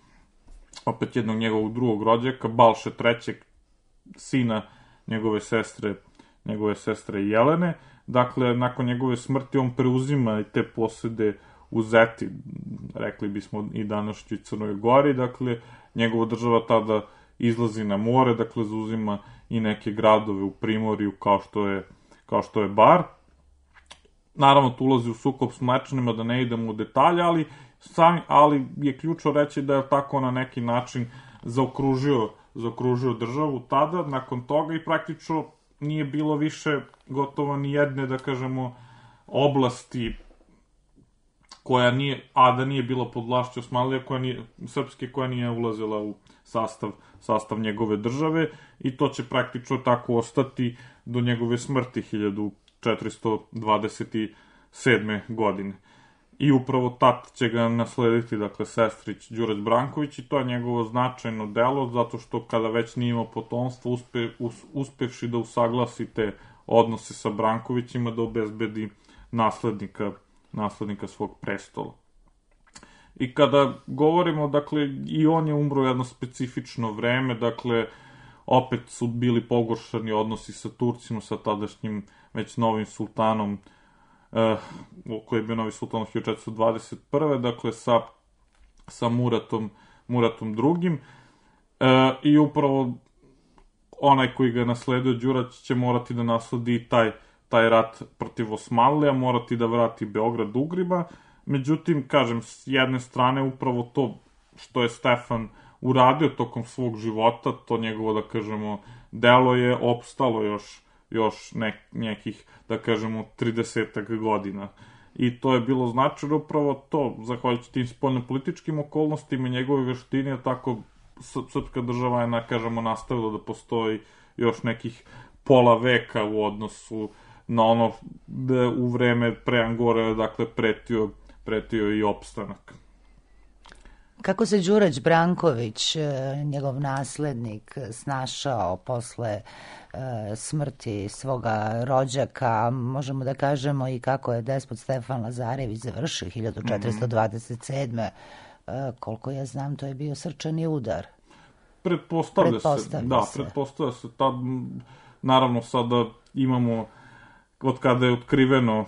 opet jednog njegovog drugog rođaka, Balše trećeg, sina njegove sestre, njegove sestre Jelene. Dakle, nakon njegove smrti on preuzima i te posede u Zeti, rekli bismo i današnjoj Crnoj Gori, dakle, njegova država tada izlazi na more, dakle, zauzima i neke gradove u Primorju, kao što je, kao što je Bar. Naravno, tu ulazi u sukob s Mlečanima, da ne idemo u detalje, ali, sami, ali je ključno reći da je tako na neki način zaokružio, zaokružio državu tada, nakon toga i praktično nije bilo više gotovo ni jedne, da kažemo, oblasti koja nije, a da nije bila pod vlašću Osmanlija, koja nije, srpske, koja nije ulazila u sastav, sastav njegove države i to će praktično tako ostati do njegove smrti hiljadu četiristo dvadeset sedme. godine. I upravo tat će ga naslediti, dakle, sestrić Đurđ Branković i to je njegovo značajno delo, zato što kada već nije imao potomstvo, uspe, us, uspevši da usaglasi te odnose sa Brankovićima, da obezbedi naslednika, naslednika svog prestola. I kada govorimo, dakle, i on je umro jedno specifično vreme, dakle, opet su bili pogoršani odnosi sa Turcima, sa tadašnjim već novim sultanom, eh, koji je bio novi sultan hiljadu četiristo dvadeset prve. dakle, sa, sa Muratom, Muratom drugim. Eh, I upravo onaj koji ga nasledio, Đurać, će morati da nasledi taj, taj rat protiv Osmanlija, morati da vrati Beograd Ugrima. Međutim, kažem, s jedne strane, upravo to što je Stefan uradio tokom svog života, to njegovo, da kažemo, delo je opstalo još, još nek, nekih, da kažemo, tridesetak godina. I to je bilo značajno upravo to, zahvaljujući tim spoljnopolitičkim okolnostima i njegove veštine, tako srpska država je, na, kažemo, nastavila da postoji još nekih pola veka u odnosu na ono da u vreme pre Angore, dakle, pretio, pretio i opstanak. Kako se Đurđ Branković, njegov naslednik, snašao posle e, smrti svoga rođaka, možemo da kažemo i kako je despot Stefan Lazarević završio hiljadu četiristo dvadeset sedme. E, koliko ja znam, to je bio srčani udar. Pretpostavlja, pretpostavlja se, da, se. pretpostavlja se. Tad, naravno, sada imamo, od kada je otkriveno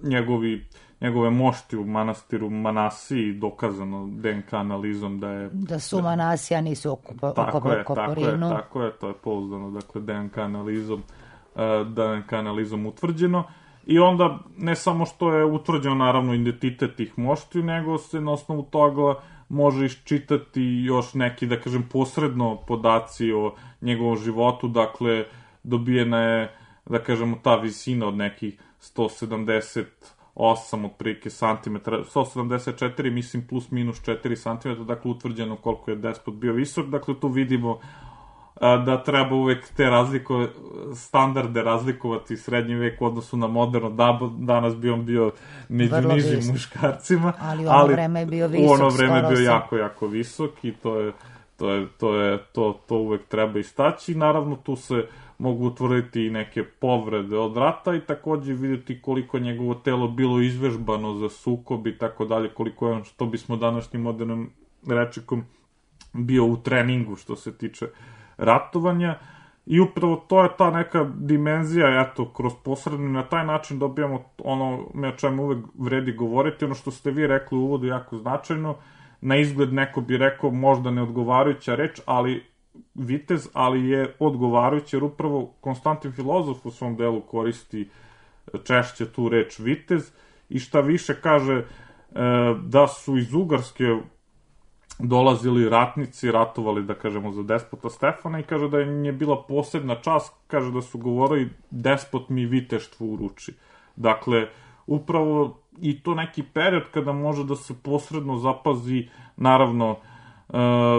njegovi njegove mošti u manastiru Manasiji, dokazano D N K analizom da je... Da su Manasija, nisu oko, tako oko je, Koporinu. Tako je, tako je, to je pouzdano, dakle, D N K analizom, D N K analizom utvrđeno. I onda, ne samo što je utvrđeno, naravno, identitet tih moštiju, nego se na osnovu toga može iščitati još neki, da kažem, posredno podaci o njegovom životu, dakle, dobijena je, da kažemo, ta visina od nekih sto sedamdeset osam otprilike santimetara, sto sedamdeset četiri, mislim, plus minus četiri santimetra, dakle, utvrđeno koliko je despot bio visok, dakle, tu vidimo a, da treba uvek te razliko, standarde razlikovati srednji vek u odnosu na moderno, da, danas bi on bio među Vrlo nižim visok. Muškarcima, ali u ono ali vreme je bio visok, u ono vreme je bio sam. jako, jako visok i to je, to je, to je, to, to uvek treba istaći. Naravno, tu se mogu utvrditi i neke povrede od rata i takođe vidjeti koliko je njegovo telo bilo izvežbano za sukob i tako dalje, koliko je on, što bismo današnjim modernim rečnikom, bio u treningu što se tiče ratovanja. I upravo to je ta neka dimenzija, eto, kroz posredno, na taj način dobijamo ono o čemu uvek vredi govoriti, ono što ste vi rekli u uvodu jako značajno, na izgled neko bi rekao možda neodgovarajuća reč, ali vitez, ali je odgovarajuće, jer upravo Konstantin Filozof u svom delu koristi češće tu reč vitez i šta više kaže da su iz Ugarske dolazili ratnici, ratovali, da kažemo, za despota Stefana i kaže da im je bila posebna čast, kaže da su govorili despot mi viteštvo uruči. Dakle, upravo i to neki period kada može da se posredno zapazi, naravno, uh,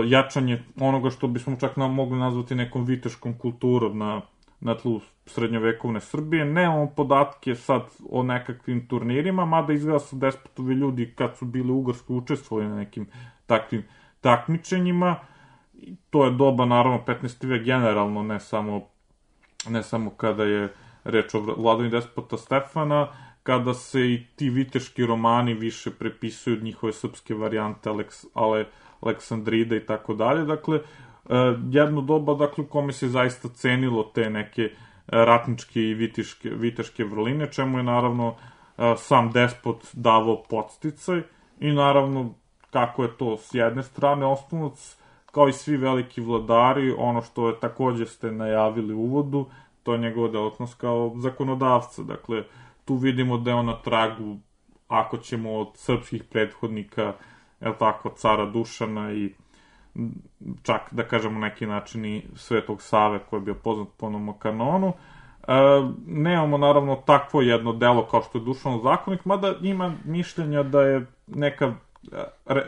jačanje onoga što bismo čak nam mogli nazvati nekom viteškom kulturom na, na tlu srednjovekovne Srbije. Nemamo podatke sad o nekakvim turnirima, mada izgleda su Despotovi ljudi kad su bili u Ugarskoj učestvovali na nekim takvim takmičenjima. To je doba, naravno, petnaesti vek generalno, ne samo, ne samo kada je reč o vladavini despota Stefana, kada se i ti viteški romani više prepisuju od njihove srpske varijante Aleks, Ale, Aleksandrida i tako dalje. Dakle, jedno doba, dakle, u kome se zaista cenilo te neke ratničke i viteške, viteške vrline, čemu je, naravno, sam despot davao podsticaj i, naravno, kako je to s jedne strane, osnovac, kao i svi veliki vladari, ono što je takođe ste najavili u uvodu, to je njegova delatnost kao zakonodavca. Dakle, tu vidimo da je on na tragu, ako ćemo od srpskih prethodnika, je tako, cara Dušana i čak, da kažemo, neki način i Svetog Save, koji je bio poznat po onom kanonu. E, nemamo, naravno, takvo jedno delo kao što je Dušanov zakonik, mada ima mišljenja da je neka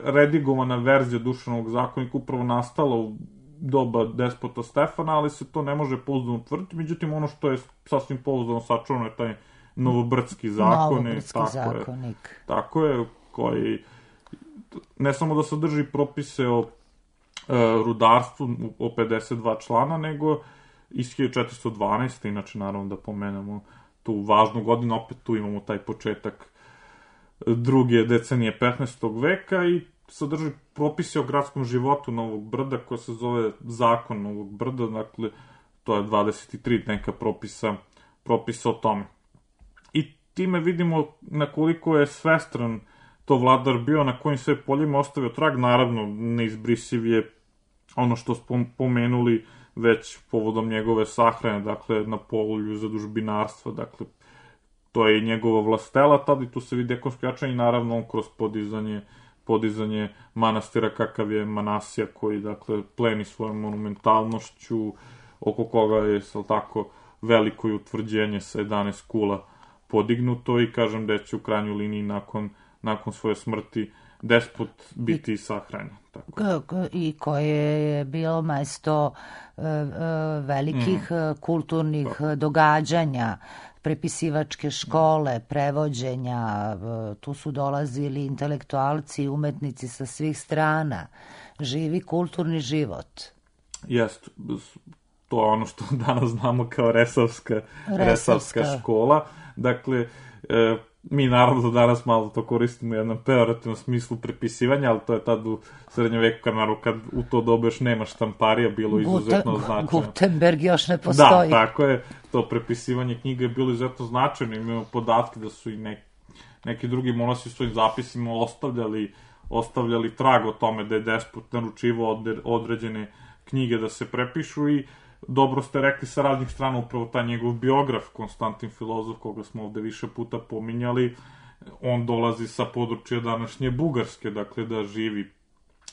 redigovana verzija Dušanovog zakonika upravo nastala u doba despota Stefana, ali se to ne može pouzdano utvrditi. Međutim, ono što je sasvim pouzdano sačuvano je taj Novobrdski zakonik. Novobrdski zakonik. Je, tako je, koji ne samo da sadrži propise o e, rudarstvu o pedeset dva člana, nego iz hiljadu četiristo dvanaeste. Inače, naravno, da pomenemo tu važnu godinu, opet tu imamo taj početak druge decenije petnaestog veka i sadrži propise o gradskom životu Novog Brda, koja se zove Zakon Novog Brda, dakle, to je dvadeset tri neka propisa, propisa o tome. I time vidimo na koliko je svestran to vladar bio, na kojim sve poljima ostavio trag. Naravno, neizbrisiv je ono što smo pomenuli već povodom njegove sahrane, dakle, na polju zadužbinarstva, dakle, to je i njegova vlastela, tada i tu se vidi ekonomsko jačanje i naravno on kroz podizanje, podizanje manastira kakav je Manasija, koji, dakle, pleni svojom monumentalnošću, oko koga je, sal tako, veliko i utvrđenje sa jedanaest kula podignuto i kažem da će u krajnjoj liniji nakon, nakon svoje smrti despot biti i sahranjen. I koje je bilo mesto e, velikih mm. kulturnih da. događanja, prepisivačke škole, prevođenja, tu su dolazili intelektualci i umetnici sa svih strana, živi kulturni život. Jest, to je ono što danas znamo kao Resavska, Resavska. Resavska škola. Dakle, e, mi naravno da danas malo to koristimo u jednom pejorativnom smislu prepisivanja, ali to je tad u srednjem veku, kad, naravno, kad u to dobe još nema štamparija, bilo izuzetno Guten, značajno. Gutenberg još ne postoji. Da, tako je. To prepisivanje knjiga je bilo izuzetno značajno. Imamo podatke da su i neki, neki drugi monasi u svojim zapisima ostavljali, ostavljali trag o tome da je despot naručivao određene knjige da se prepišu i dobro ste rekli sa raznih strana, upravo taj njegov biograf, Konstantin Filozof, koga smo ovde više puta pominjali, on dolazi sa područja današnje Bugarske, dakle da živi,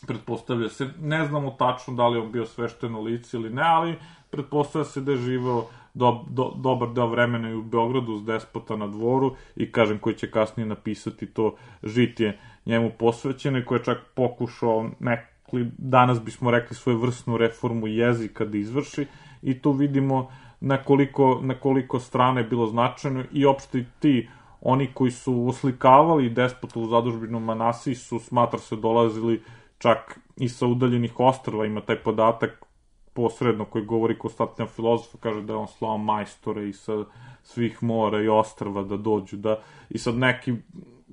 pretpostavlja se, ne znamo tačno da li on bio svešteno lice ili ne, ali pretpostavlja se da je živeo do, do, dobar deo vremena i u Beogradu uz despota na dvoru i kažem koji će kasnije napisati to žitije njemu posvećeno i koji je čak pokušao nek danas bismo rekli svoju vrsnu reformu jezika da izvrši i tu vidimo na koliko, na koliko strane je bilo značajno i opšte ti, oni koji su oslikavali despota u zadužbinu Manasiji su, smatra se, dolazili čak i sa udaljenih ostrva, ima taj podatak posredno koji govori Konstantin Filozof, kaže da je on slao majstore i sa svih mora i ostrva da dođu, da i sad neki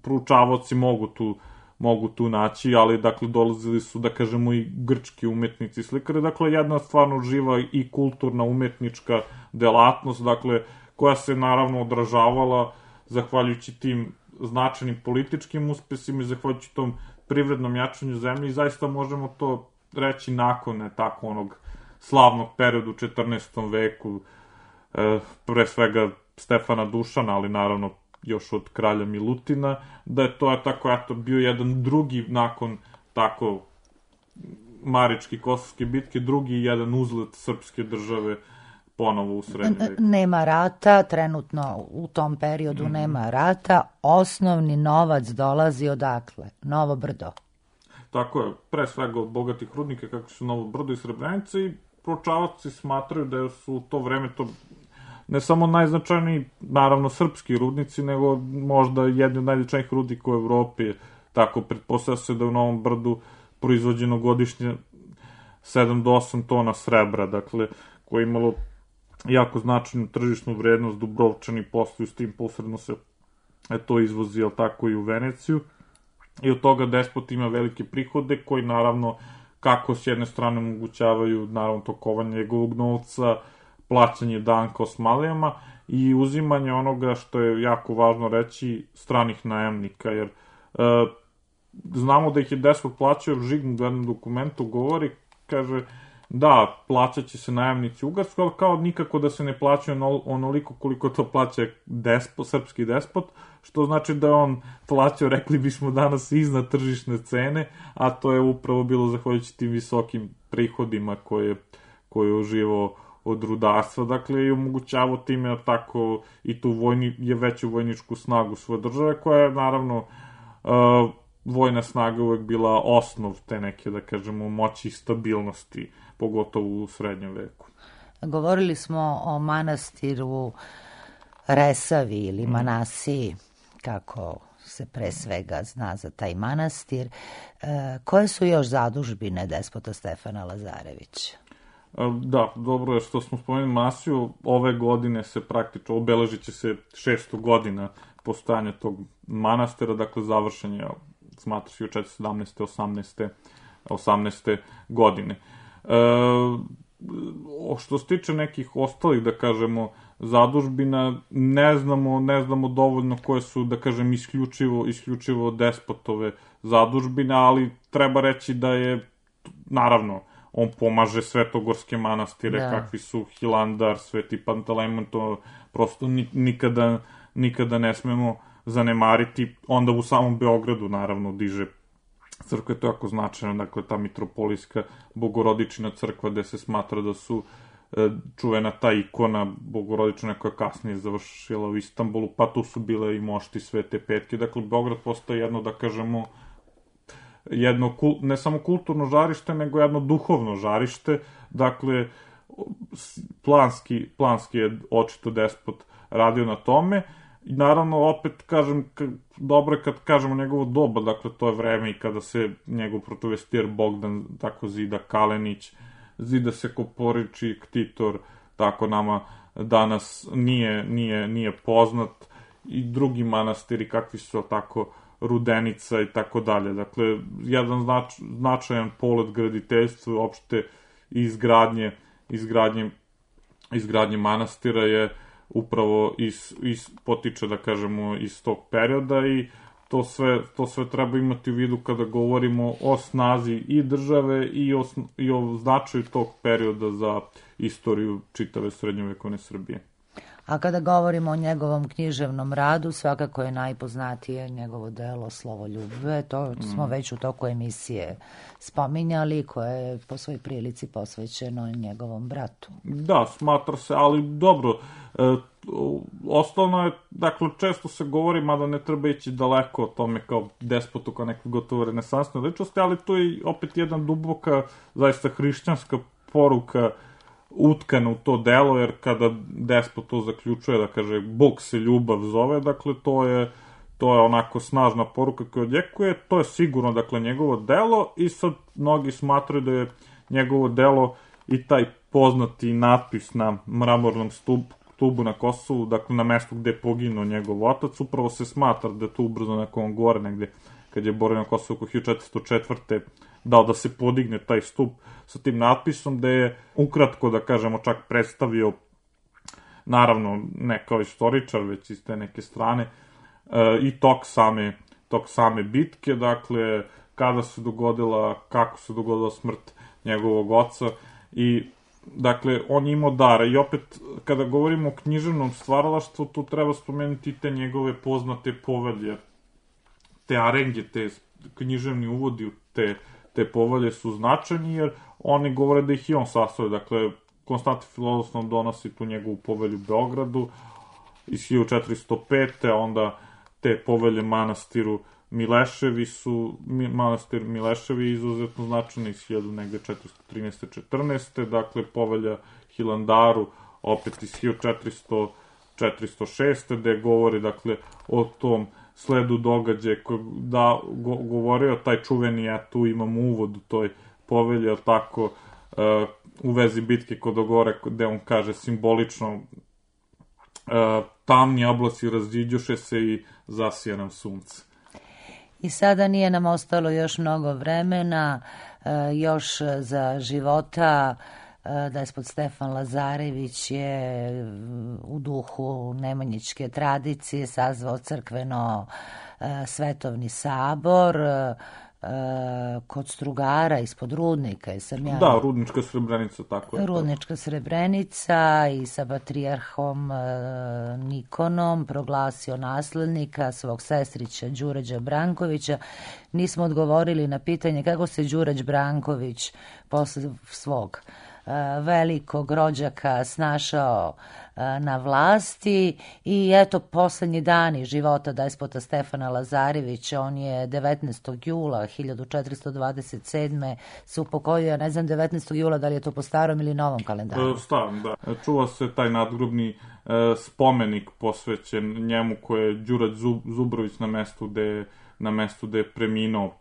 proučavaoci mogu tu mogu tu naći, ali, dakle, dolazili su, da kažemo, i grčki umetnici i slikari, dakle, jedna stvarno živa i kulturna umetnička delatnost, dakle, koja se, naravno, odražavala zahvaljujući tim značajnim političkim uspesima i zahvaljujući tom privrednom jačanju zemlje i zaista možemo to reći nakon, ne tako, onog slavnog periodu u četrnaestom veku, e, pre svega Stefana Dušana, ali, naravno, još od kralja Milutina, da je to je tako, eto, bio jedan drugi nakon tako Maričke i Kosovske bitke, drugi jedan uzlet srpske države ponovo u srednjem veku. Nema rata, trenutno u tom periodu mm-hmm. nema rata, osnovni novac dolazi odakle? Novo Brdo. Tako je, pre svega od bogatih rudnika, kako su Novo Brdo i Srebrenica, i proučavaoci smatraju da su u to vreme to ne samo najznačajniji, naravno, srpski rudnici, nego možda jedni od najznačajnijih rudnika u Evropi. Tako, pretpostavlja se da je u Novom Brdu proizvođeno godišnje sedam do osam tona srebra, dakle, koje je imalo jako značajnu tržišnu vrednost. Dubrovčani posluju s tim, posredno se to izvozi, jel tako, i u Veneciju. I od toga despot ima velike prihode, koji, naravno, kako s jedne strane omogućavaju, naravno, tokovanje njegovog novca, plaćanje danka osmalijama i uzimanje onoga što je jako važno reći, stranih najemnika, jer e, znamo da ih je despot plaćao, jer Žigmund u jednom dokumentu govori, kaže, da, plaćat će se najemnici Ugarskoj, ali kao nikako da se ne plaćaju onoliko koliko to plaća despot, srpski despot, što znači da on plaćao, rekli bismo danas, iznad tržišne cene, a to je upravo bilo zahvaljujući tim visokim prihodima koje, koje je uživao od rudarstva, dakle, i omogućavao time tako i tu vojni, je veću vojničku snagu svoje države, koja je, naravno, uh, vojna snaga uvek bila osnov te neke, da kažemo, moći i stabilnosti, pogotovo u srednjem veku. Govorili smo o manastiru Resavi ili Manasiji, kako se pre svega zna za taj manastir. E, koje su još zadužbine despota Stefana Lazarevića? Da, dobro je što smo spomenuli Manasiju. Ove godine se praktično obeležit će se šesto godina postojanja tog manastira, dakle završen je, smatra se, u četiristo sedamnaeste. osamnaeste. osamnaeste godine. E, što se tiče nekih ostalih, da kažemo, zadužbina, ne znamo, ne znamo dovoljno koje su, da kažem, isključivo, isključivo despotove zadužbine, ali treba reći da je, naravno, on pomaže svetogorske manastire, da. Kakvi su Hilandar, Sveti Pantelejmon, to prosto nikada, nikada ne smemo zanemariti. Onda u samom Beogradu, naravno, diže crkva, je to jako značajno, dakle, ta mitropolijska Bogorodičina crkva, gde se smatra da su e, čuvena ta ikona Bogorodičina koja kasnije završila u Istanbulu, pa tu su bile i mošti Svete Petke. Dakle, Beograd postaje jedno, da kažemo, jedno, ne samo kulturno žarište, nego jedno duhovno žarište. Dakle, planski, planski je očito despot radio na tome. I naravno, opet, kažem, dobro je kad kažemo njegovo doba, dakle, to je vreme i kada se njegov protovestijer Bogdan, tako Zida Kalenić, zida se Koporiči, Ktitor, tako nama danas nije, nije, nije poznat, i drugi manastiri, kakvi su, tako, Rudenica i tako dalje. Dakle, jedan znač, značajan polet graditeljstva, uopšte izgradnje, izgradnje, izgradnje manastira je upravo iz, iz, potiče, da kažemo, iz tog perioda, i to sve, to sve treba imati u vidu kada govorimo o snazi i države i o, i o značaju tog perioda za istoriju čitave srednjovekovne Srbije. A kada govorimo o njegovom književnom radu, svakako je najpoznatije njegovo delo Slovoljube, to smo mm. već u toku emisije spominjali, koje je po svoj prilici posvećeno njegovom bratu. Da, smatra se, ali dobro, e, osnovno je, dakle, često se govori, mada ne treba ići daleko o tome kao despotu, kao nekoj gotovo renesansnoj ličnosti, ali tu je opet jedna duboka, zaista hrišćanska poruka utkana u to delo, jer kada despot to zaključuje, da kaže, Bog se ljubav zove, dakle, to je, to je onako snažna poruka koja odjekuje, to je sigurno, dakle, njegovo delo, i sad mnogi smatraju da je njegovo delo i taj poznati natpis na mramornom stupu, stubu na Kosovu, dakle, na mestu gde je poginuo njegov otac, upravo se smatra da je to ubrzo nakon gore, negde, kad je borio na Kosovu oko hiljadu četiristo četvrte dao da se podigne taj stup sa tim natpisom, gde je ukratko, da kažemo, čak predstavio, naravno, ne kao istoričar, već iz te neke strane, e, i tok same, tok same bitke, dakle, kada se dogodila, kako se dogodila smrt njegovog oca, i dakle, on je imao dara. I opet, kada govorimo o književnom stvaralaštvu, tu treba spomenuti te njegove poznate povelje, te arenge, te književni uvodi u te, te povelje su značajni, jer oni govore da ih i on sastavio. Dakle, Konstantin Filozof nam donosi tu njegovu povelju u Beogradu iz hiljadu četiristo pete. Onda te povelje manastiru Mileševi su, manastir Mileševi je izuzetno značajno iz hiljadu četiristo trinaeste četrnaeste. Dakle, povelja Hilandaru opet iz hiljadu četiristo šeste. gde govori, dakle, o tom sledu događaja da go, govorio taj čuveni, ja tu imam uvod u toj povelji, ali tako, uh, u vezi bitke kod Ogore, gde on kaže simbolično uh, tamni oblaci razđiđuše se i zasija nam sunce. I sada nije nam ostalo još mnogo vremena, uh, još za života. Despot Stefan Lazarević je u duhu nemanjičke tradicije sazvao crkveno svetovni sabor kod Strugara ispod Rudnika. Sam ja... Da, Rudnička Srebrenica, tako je. Rudnička Srebrenica i sa patrijarhom Nikonom proglasio naslednika svog sestrića Đurađa Brankovića. Nismo odgovorili na pitanje kako se Đurađ Branković posle svog velikog rođaka snašao na vlasti i eto poslednji dani života despota Stefana Lazarevića. On je devetnaestog jula hiljadu četiristo dvadeset sedme se upokojio, ne znam devetnaestog jula da li je to po starom ili novom kalendaru. Starom, da. Čuva se taj nadgrobni e, spomenik posvećen njemu koje je Đurađ Zubrović na mestu gde, na mestu gde je preminuo,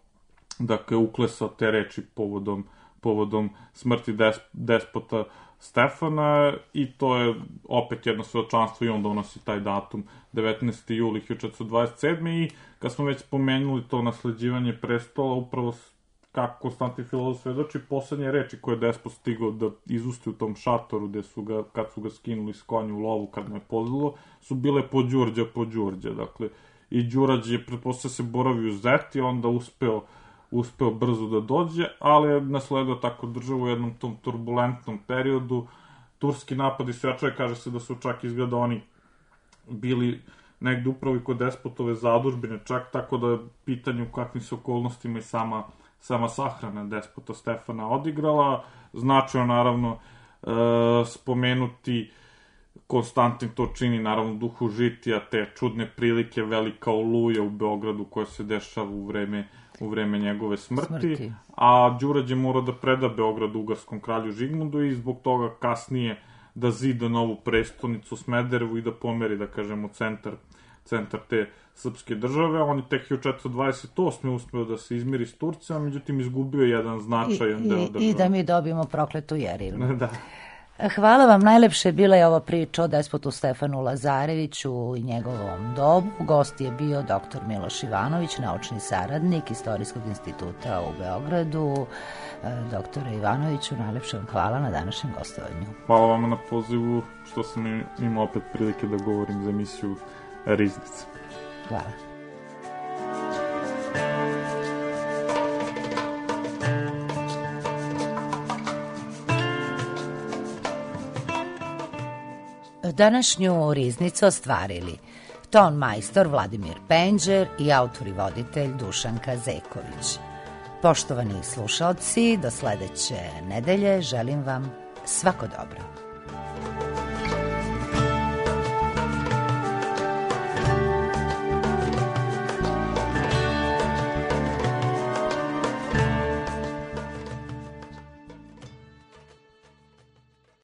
dakle uklesao te reči povodom povodom smrti des, despota Stefana i to je opet jedno svedočanstvo i on donosi taj datum devetnaesti juli hiljadu četiristo dvadeset sedme i kad smo već spomenuli to nasleđivanje prestola, upravo kako Konstantin Filozof svedoči, poslednje reči koje je despot stigao da izusti u tom šatoru gde su ga, kad su ga skinuli s konja u lovu kad mu je pozlilo, su bile po Đurđa, po Đurđa, dakle i Đurađ je pretpostavljeno se boravio u Zeti, onda uspeo uspeo brzo da dođe, ali je nasledio tako državu u jednom tom turbulentnom periodu. Turski napadi svečare, kaže se da su čak izgleda oni bili negde upravo i kod despotove zadužbine, čak tako da je pitanje u kakvim se okolnostima i sama, sama sahrana despota Stefana odigrala. Značajno, naravno, e, spomenuti Konstantin to čini, naravno, duhu žitija, te čudne prilike, velika oluja u Beogradu koja se dešava u vreme u vreme njegove smrti, smrti. A Đurađ je morao da preda Beograd ugarskom kralju Žigmundu i zbog toga kasnije da zida novu prestonicu Smederevu i da pomeri, da kažemo, centar, centar te srpske države. On je tek hiljadu četiristo dvadeset osme uspeo da se izmiri s Turcima, međutim izgubio jedan značajan I, deo i, države. I da mi dobijemo prokletu Jerilu. Da. Hvala vam, najlepše bila je ova priča o despotu Stefanu Lazareviću i njegovom dobu. Gost je bio doktor Miloš Ivanović, naučni saradnik Istorijskog instituta u Beogradu. Doktore Ivanoviću, najlepše vam hvala na današnjem gostovanju. Hvala vam na pozivu, što sam imao opet prilike da govorim za emisiju Riznice. Hvala. Današnju Riznicu ostvarili ton majstor Vladimir Penđer i autor i voditelj Dušanka Zeković. Poštovani slušaoci, do sledeće nedelje želim vam svako dobro.